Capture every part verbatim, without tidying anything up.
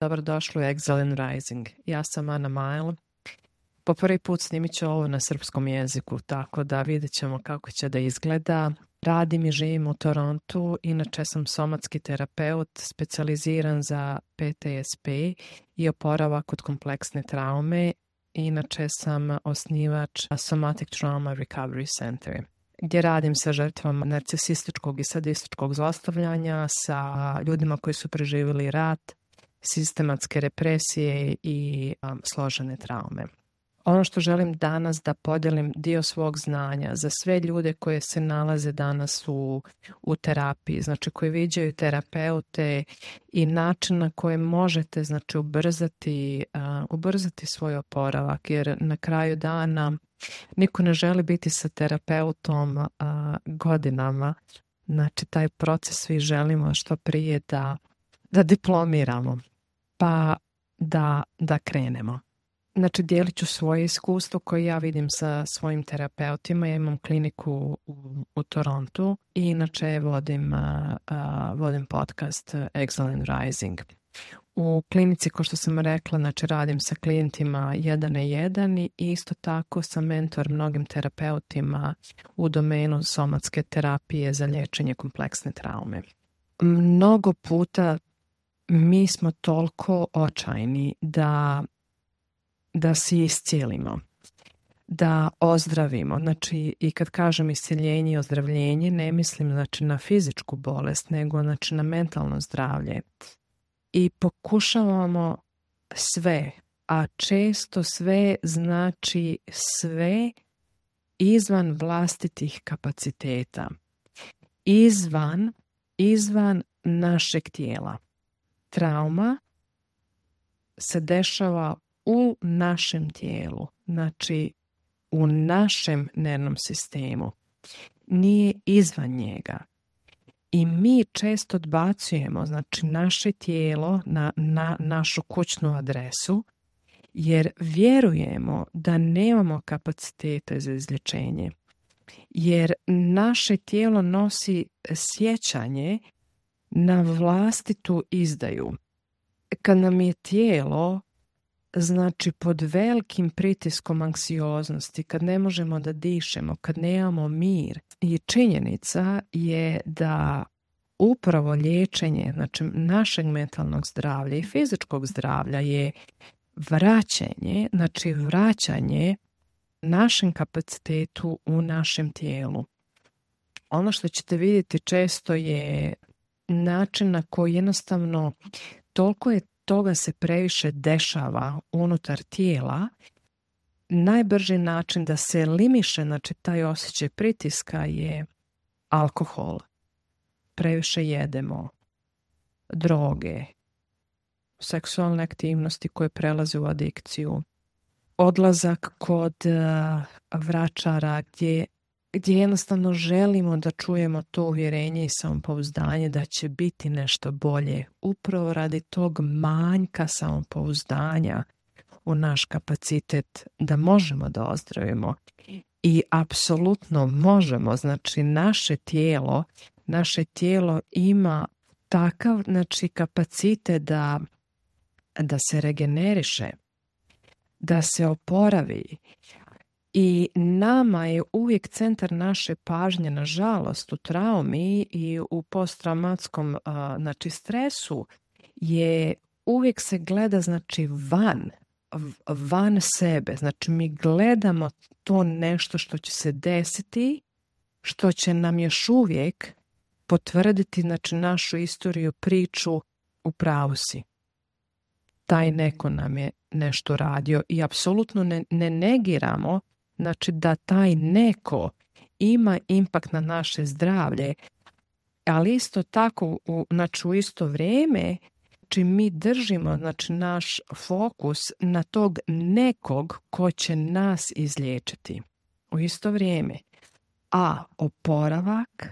Dobrodošli u Exile and Rising. Ja sam Ana Majl. Po prvi put snimit ću ovo na srpskom jeziku, tako da vidjet ćemo kako će da izgleda. Radim i živim u Torontu, inače sam somatski terapeut, specijaliziran za P T S P i oporavak od kompleksne traume. Inače sam osnivač Somatic Trauma Recovery Center, gdje radim sa žrtvama narcisističkog i sadističkog zlostavljanja, sa ljudima koji su preživjeli rat, sistematske represije i um, složene traume. Ono što želim danas da podijelim dio svog znanja za sve ljude koje se nalaze danas u, u terapiji, znači koji viđaju terapeute i način na koji možete znači ubrzati, uh, ubrzati svoj oporavak, jer na kraju dana niko ne želi biti sa terapeutom uh, godinama. Znači taj proces svi želimo što prije da, da diplomiramo, pa da, da krenemo. Znači, dijelit ću svoje iskustvo koje ja vidim sa svojim terapeutima. Ja imam kliniku u, u Torontu i inače vodim, uh, uh, vodim podcast Exile and Rising. U klinici, kao što sam rekla, znači radim sa klijentima jedan na jedan i isto tako sam mentor mnogim terapeutima u domenu somatske terapije za liječenje kompleksne traume. Mnogo puta mi smo toliko očajni da da se iscijelimo, da ozdravimo. Znači, i kad kažem iscijeljenje i ozdravljenje, ne mislim znači na fizičku bolest, nego znači na mentalno zdravlje. I pokušavamo sve, a često sve znači sve izvan vlastitih kapaciteta, izvan, izvan našeg tijela. Trauma se dešava u našem tijelu, znači u našem nervnom sistemu, nije izvan njega. I mi često odbacujemo znači naše tijelo na, na našu kućnu adresu, jer vjerujemo da nemamo kapacitete za izlječenje. Jer naše tijelo nosi sjećanje na vlastitu izdaju. Kad nam je tijelo znači pod velikim pritiskom anksioznosti, kad ne možemo da dišemo, kad nemamo mir. I činjenica je da upravo liječenje znači našeg mentalnog zdravlja i fizičkog zdravlja je vraćanje, znači vraćanje našem kapacitetu u našem tijelu. Ono što ćete vidjeti često je način na koji jednostavno toliko je toga se previše dešava unutar tijela. Najbrži način da se elimiše znači taj osjećaj pritiska je alkohol. Previše jedemo, droge, seksualne aktivnosti koje prelaze u adikciju, odlazak kod uh, vračara gdje, gdje jednostavno želimo da čujemo to uvjerenje i samopouzdanje da će biti nešto bolje. Upravo radi tog manjka samopouzdanja u naš kapacitet da možemo da ozdravimo. I apsolutno možemo, znači naše tijelo, naše tijelo ima takav znači, kapacitet da, da se regeneriše, da se oporavi. I nama je uvijek centar naše pažnje, nažalost, u traumi i u posttraumatskom znači, stresu je uvijek se gleda znači van, van sebe. Znači mi gledamo to nešto što će se desiti, što će nam još uvijek potvrditi znači, našu istoriju, priču, u pravu si. Taj neko nam je nešto radio i apsolutno ne, ne negiramo znači da taj neko ima impakt na naše zdravlje, ali isto tako u, znači, u isto vrijeme znači mi držimo znači, naš fokus na tog nekog ko će nas izliječiti u isto vrijeme. A oporavak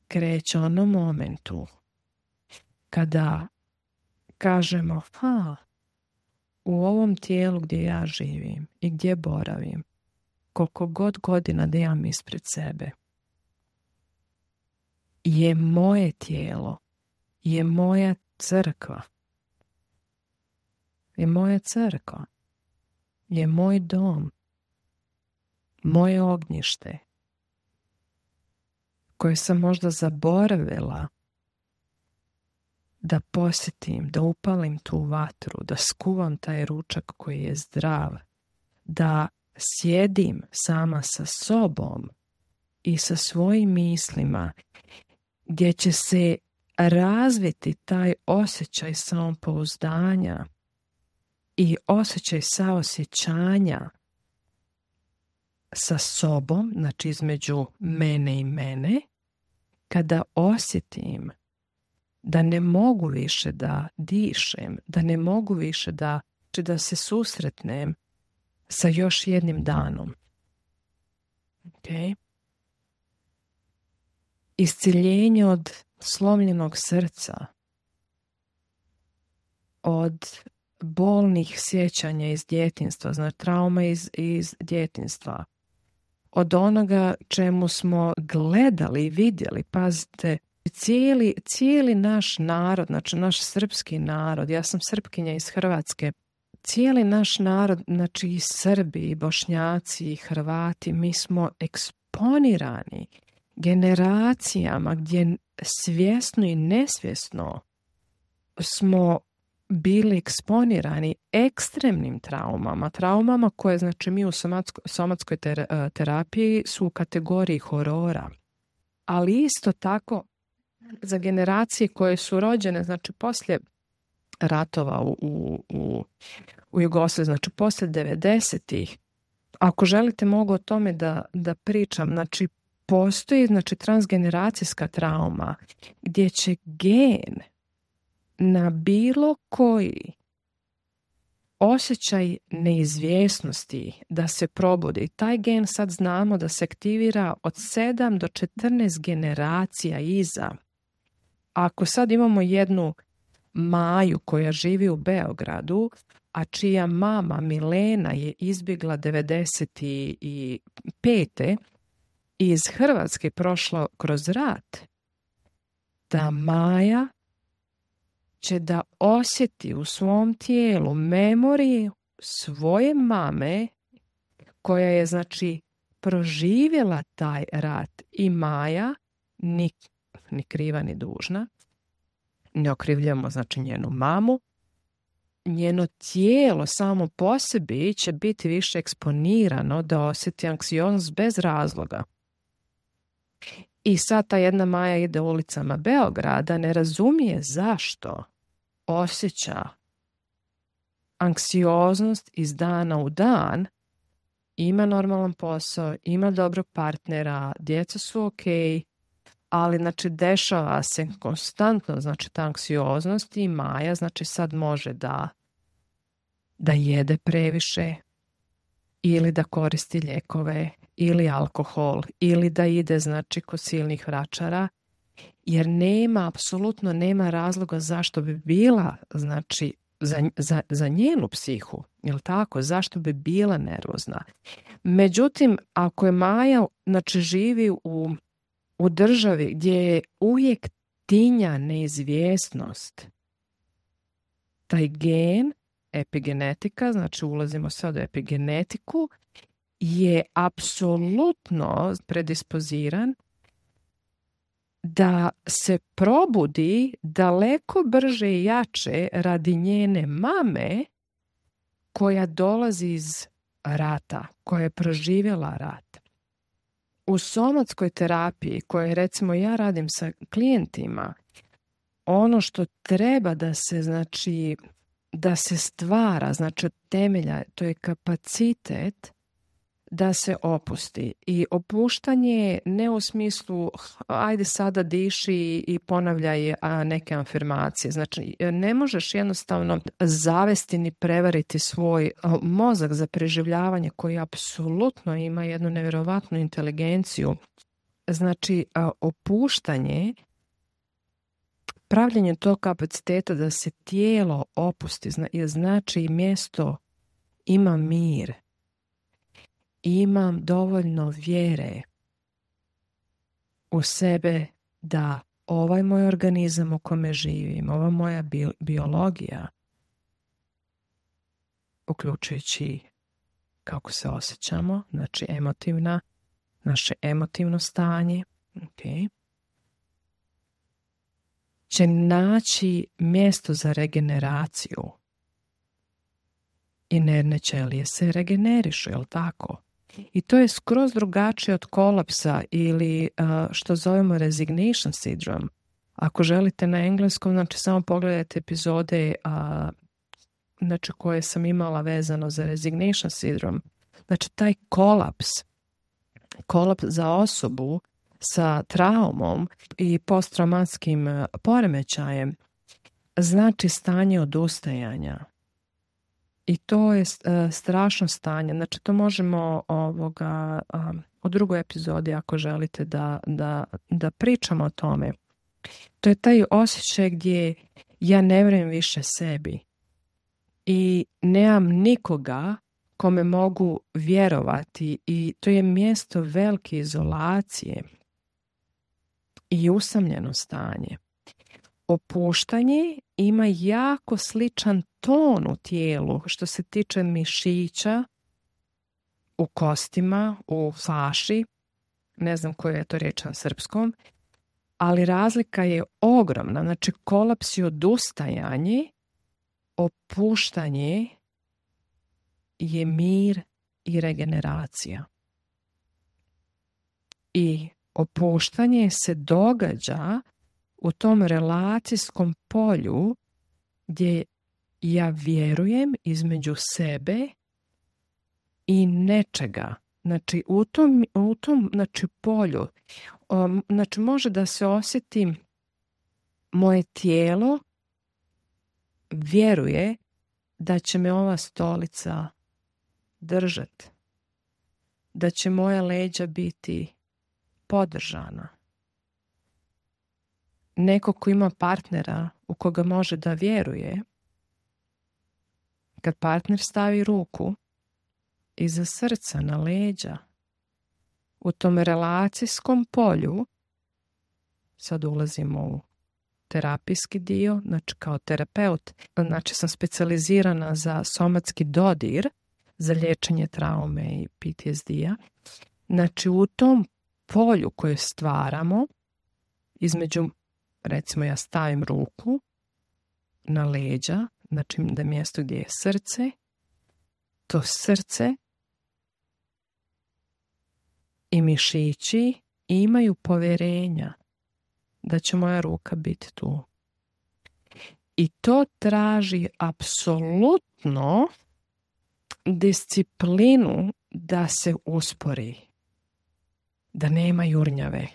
kreće u onom momentu kada kažemo ha, u ovom tijelu gdje ja živim i gdje boravim, koliko god godina da imam ispred sebe, je moje tijelo, je moja crkva. je moja crkva, je moj dom, moje ognjište, koje sam možda zaboravila da posjetim, da upalim tu vatru, da skuvam taj ručak koji je zdrav, da sjedim sama sa sobom i sa svojim mislima, gdje će se razviti taj osjećaj samopouzdanja i osjećaj saosjećanja sa sobom, znači između mene i mene, kada osjetim da ne mogu više da dišem, da ne mogu više da, či da se susretnem sa još jednim danom. Okay? Isciljenje od slomljenog srca, od bolnih sjećanja iz djetinjstva, znači trauma iz, iz djetinjstva, od onoga čemu smo gledali i vidjeli, pazite, cijeli, cijeli naš narod, znači naš srpski narod, ja sam Srpkinja iz Hrvatske, cijeli naš narod, znači i Srbi, i Bošnjaci, i Hrvati, mi smo eksponirani generacijama gdje svjesno i nesvjesno smo bili eksponirani ekstremnim traumama, traumama koje, znači, mi u somatsko, somatskoj ter, terapiji su u kategoriji horora. Ali isto tako za generacije koje su rođene, znači poslije ratova u, u, u, u Jugoslaviji, znači poslije devedesetih, ako želite mogu o tome da, da pričam, znači postoji, znači, transgeneracijska trauma gdje će gen na bilo koji osjećaj neizvjesnosti da se probudi. Taj gen sad znamo da se aktivira od sedam do četrnaest generacija iza. Ako sad imamo jednu Maju koja živi u Beogradu, a čija mama Milena je izbjegla devedeset pete iz Hrvatske, prošla kroz rat, ta Maja će da osjeti u svom tijelu memoriju svoje mame koja je, znači, proživjela taj rat. I Maja, ni, ni kriva ni dužna, ne okrivljamo, znači, njenu mamu, njeno tijelo samo po sebi će biti više eksponirano da osjeti anksioznost bez razloga. I sad ta jedna Maja ide ulicama Beograda, ne razumije zašto osjeća anksioznost iz dana u dan, ima normalan posao, ima dobrog partnera, djeca su ok, ali, znači, dešava se konstantno, znači, ta anksioznost i Maja, znači, sad može da, da jede previše ili da koristi lijekove ili alkohol ili da ide, znači, kod silnih vračara, jer nema, apsolutno nema razloga zašto bi bila, znači, za, za, za njenu psihu, jel tako, zašto bi bila nervozna. Međutim, ako je Maja, znači, živi u, u državi gdje je uvijek tinja neizvjesnost, taj gen, epigenetika, znači ulazimo sad u epigenetiku, je apsolutno predispoziran da se probudi daleko brže i jače radi njene mame koja dolazi iz rata, koja je proživjela rat. U somatskoj terapiji, koje, recimo, ja radim sa klijentima, ono što treba da se, znači, da se stvara, znači, od temelja, to je kapacitet da se opusti. I opuštanje ne u smislu ajde sada diši i ponavljaj neke afirmacije. Znači, ne možeš jednostavno zavesti ni prevariti svoj mozak za preživljavanje koji apsolutno ima jednu nevjerovatnu inteligenciju. Znači, opuštanje, pravljenje tog kapaciteta da se tijelo opusti, znači mjesto ima mir, imam dovoljno vjere u sebe da ovaj moj organizam u kome živim, ova moja bi- biologija uključujući kako se osjećamo, znači emotivna, naše emotivno stanje, okay, će naći mjesto za regeneraciju. I nervne ćelije se regenerišu, jel tako? I to je skroz drugačije od kolapsa ili uh, što zovemo resignation syndrome. Ako želite na engleskom, znači samo pogledajte epizode uh, znači koje sam imala vezano za resignation syndrome. Znači taj kolaps, kolaps za osobu sa traumom i posttraumatskim uh, poremećajem znači stanje odustajanja. I to je uh, strašno stanje. Znači to možemo ovoga, um, u drugoj epizodi ako želite da, da, da pričamo o tome. To je taj osjećaj gdje ja ne vjerujem više sebi i nemam nikoga kome mogu vjerovati i to je mjesto velike izolacije i usamljeno stanje. Opuštanje ima jako sličan ton u tijelu što se tiče mišića u kostima, u faši, ne znam koja je to riječ na srpskom, ali razlika je ogromna. Znači kolaps i odustajanje, opuštanje je mir i regeneracija. I opuštanje se događa u tom relacijskom polju gdje ja vjerujem između sebe i nečega. Znači u tom, u tom znači, polju um, znači, može da se osjeti moje tijelo vjeruje da će me ova stolica držati, da će moja leđa biti podržana. Neko ko ima partnera u koga može da vjeruje, kad partner stavi ruku iza srca na leđa, u tom relacijskom polju, sad ulazimo u terapijski dio, znači kao terapeut, znači sam specijalizirana za somatski dodir, za liječenje traume i P T S D-a. Znači u tom polju koje stvaramo, između, recimo ja stavim ruku na leđa, znači da je mjesto gdje je srce, to srce i mišići imaju povjerenja da će moja ruka biti tu. I to traži apsolutno disciplinu da se uspori, da nema jurnjave,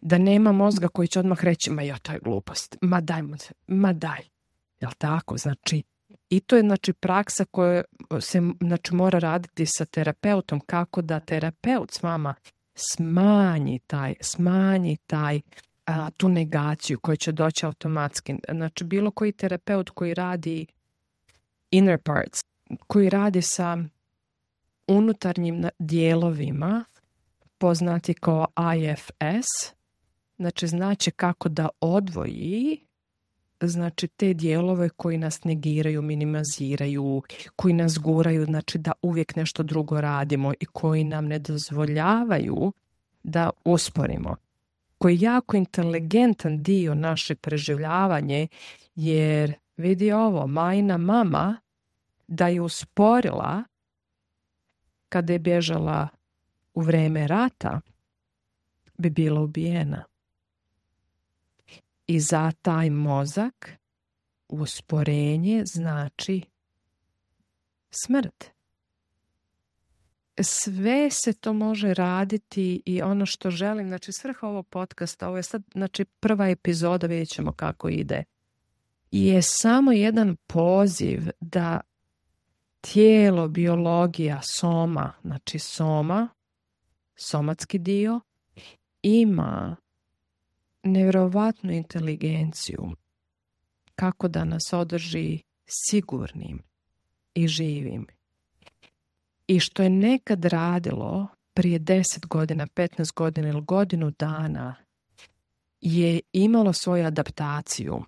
da nema mozga koji će odmah reći ma ja, to je glupost, ma daj, ma daj. Jel tako? Znači, i to je znači praksa koja se znači, mora raditi sa terapeutom, kako da terapeut s vama smanji taj, smanji taj a, tu negaciju koja će doći automatski. Znači, bilo koji terapeut koji radi inner parts, koji radi sa unutarnjim dijelovima, poznati kao I F S, znači znači kako da odvoji znači te dijelove koji nas negiraju, minimiziraju, koji nas guraju, znači da uvijek nešto drugo radimo i koji nam ne dozvoljavaju da usporimo. Koji je jako inteligentan dio naše preživljavanje, jer vidi ovo, majna mama da je usporila kada je bježala u vrijeme rata, bi bila ubijena. I za taj mozak usporenje znači smrt. Sve se to može raditi i ono što želim, znači svrha ovog podcasta, ovo je sad znači prva epizoda, vidjet ćemo kako ide, je samo jedan poziv da tijelo, biologija, soma, znači soma, somatski dio, ima nevjerovatnu inteligenciju kako da nas održi sigurnim i živim. I što je nekad radilo prije deset godina, petnaest godina ili godinu dana je imalo svoju adaptaciju.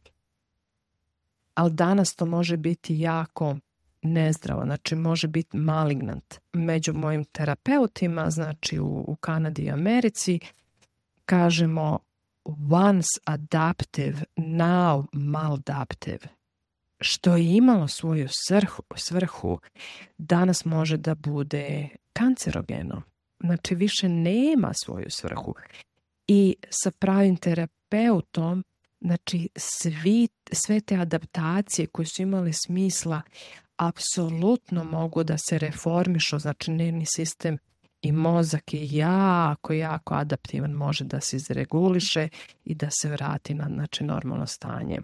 Ali danas to može biti jako nezdravo, znači može biti malignant. Među mojim terapeutima, znači u, u Kanadi i Americi, kažemo once adaptive, now maladaptive. Što je imalo svoju svrhu, svrhu, danas može da bude kancerogeno. Znači više nema svoju svrhu. I sa pravim terapeutom, znači svi, sve te adaptacije koje su imale smisla apsolutno mogu da se reformišu, znači nervni sistem i mozak je jako, jako adaptivan, može da se izreguliše i da se vrati na znači, normalno stanje.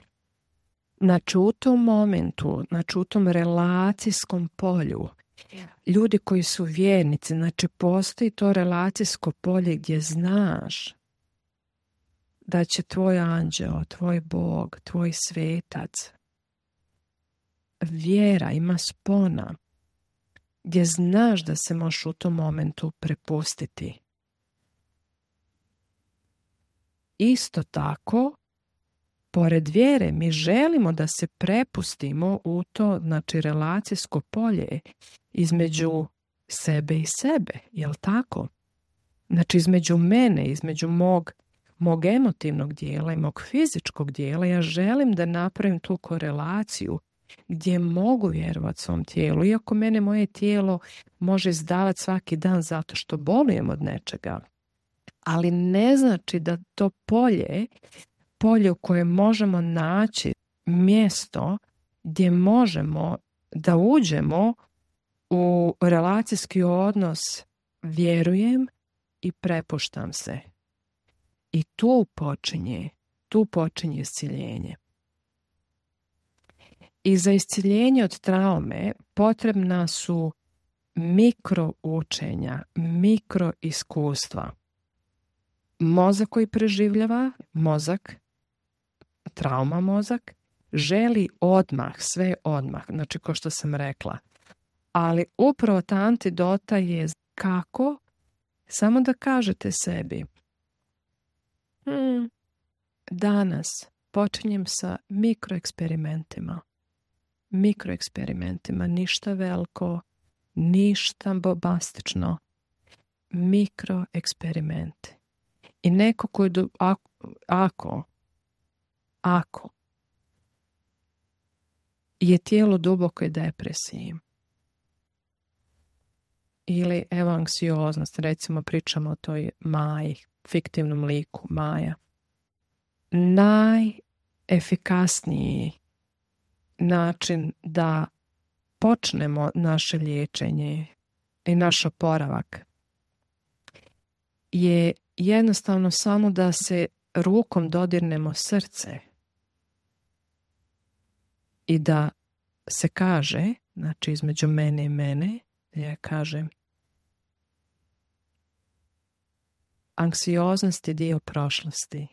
Znači u tom momentu, znači u tom relacijskom polju, ljudi koji su vjernici, znači postoji to relacijsko polje gdje znaš da će tvoj anđeo, tvoj Bog, tvoj svetac, vjera ima spona, gdje znaš da se možeš u tom momentu prepustiti. Isto tako, pored vjere, mi želimo da se prepustimo u to, znači, relacijsko polje između sebe i sebe, jel tako? Znači, između mene, između mog, mog emotivnog dijela i mog fizičkog dijela, ja želim da napravim tu korelaciju gdje mogu vjerovati svom tijelu, iako mene moje tijelo može izdavati svaki dan zato što bolujem od nečega. Ali ne znači da to polje, polje u kojem možemo naći mjesto gdje možemo da uđemo u relacijski odnos, vjerujem i prepuštam se. I tu počinje, tu počinje isciljenje. I za isciljenje od traume potrebna su mikro učenja, mikro iskustva. Mozak koji preživljava, mozak, trauma mozak, želi odmah, sve odmah, znači kao što sam rekla. Ali upravo ta antidota je kako? Samo da kažete sebi, hmm, danas počinjem sa mikroeksperimentima. Mikroeksperimentima, ništa veliko, ništa bombastično. Mikroeksperimenti. I neko koji, do, ako, ako, ako je tijelo dubokoj depresiji ili evo anksioznost, recimo pričamo o toj Maji, fiktivnom liku Maja, najefikasniji način da počnemo naše liječenje i naš oporavak je jednostavno samo da se rukom dodirnemo srce i da se kaže, znači između mene i mene, ja kažem, anksioznost je dio prošlosti.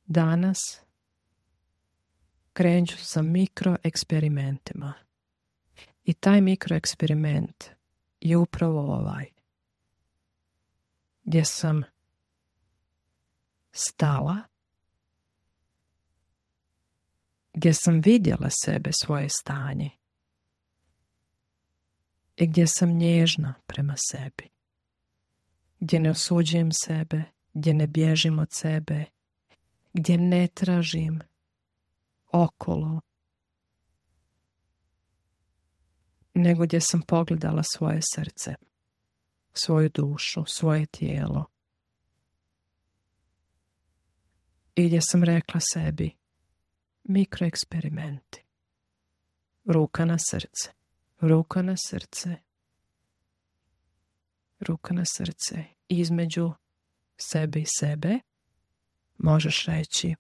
Danas krenut ću sa mikroeksperimentima. I taj mikroeksperiment je upravo ovaj. Gdje sam stala, gdje sam vidjela sebe, svoje stanje i gdje sam nježna prema sebi, gdje ne osuđujem sebe, gdje ne bježim od sebe, gdje ne tražim okolo, nego gdje sam pogledala svoje srce, svoju dušu, svoje tijelo i gdje sam rekla sebi mikroeksperimenti, ruka na srce, ruka na srce, ruka na srce, između sebe i sebe možeš reći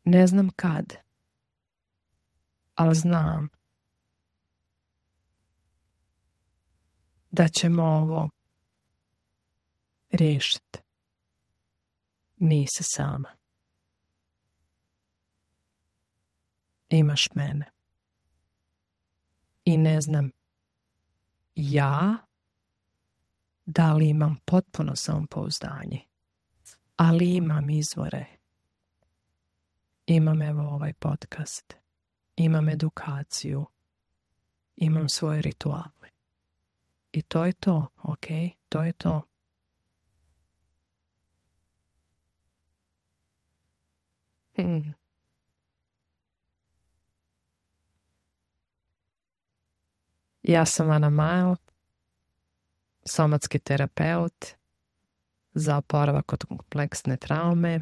ne znam kad, ali znam da ćemo ovo riješiti. Nisi sama. Imaš mene. I ne znam ja da li imam potpuno samopouzdanje, ali imam izvore. imam evo ovaj podcast, imam edukaciju, imam svoje rituale. I to je to, ok? To je to. Hmm. Ja sam Ana Majl, somatski terapeut za oporavak od kompleksne traume.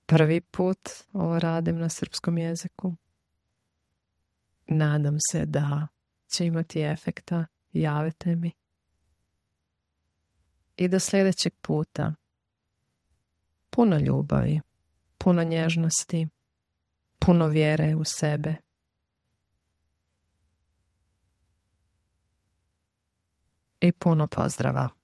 Prvi put ovo radim na srpskom jeziku. Nadam se da će imati efekta. Javite mi. I do sljedećeg puta. Puno ljubavi, puno nježnosti, puno vjere u sebe. I puno pozdrava.